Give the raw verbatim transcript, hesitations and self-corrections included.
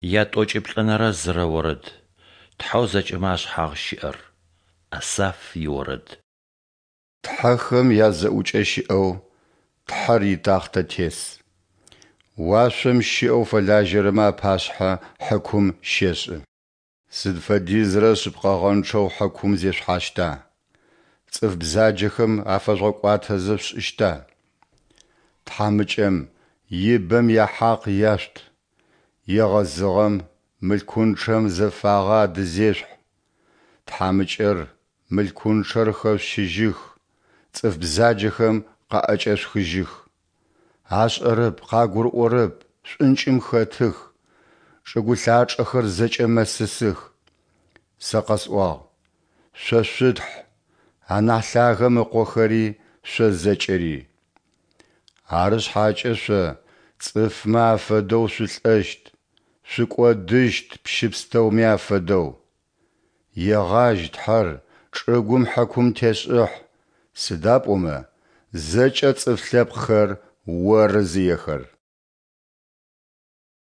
Ятӏокӏиплӏэнэрэ зырэ орэд. Тхьэу зэкӏэмэ ашъхьагъ щыӏэр. Асаф иорэд. Тхьэхэм язэӏукӏэ щыӏэу Тхьэр итахътэ тес. Уашъом щыӏэу фэлажьэрэмэ апашъхьэ хьыкум щешӏы. Сыд фэдизрэ шъыпкъэгъэнчъэу хьыкум зешъухьащта? Цӏыф бзаджэхэм афэжъугъэкӏуатэзэ шъушӏыщта? Тхьамыкӏэм, ибэм яхьакъ яшъут. Егъэзыгъэм, мылъкунчъэм зэфагъэ адызешъухь. Тхьамыкӏэр, мылъкунчъэр хэшъущыжьых, цӏыф бзаджэхэм къаӏэкӏэшъухыжьых. Ашӏэрэп, къагурыӏорэп, шӏункӏым хэтых, чӏыгу лъачӏэхэр зэкӏэ мэсысых. Сэ къэсӏуагъ: Шъо шъутхь, анахь Лъагэм ыкъохэри шъо зэкӏэри. Ары шъхьакӏэ шъо цӏыфмэ афэдэу шъулӏэщт, шъукӏодыщт пщы пстэуми афэдэу. Егъажь, Тхьэр, чӏыгум хьыкум тешӏыхь, сыда пӏомэ зэкӏэ цӏыф лъэпкъхэр Оры зыехэр.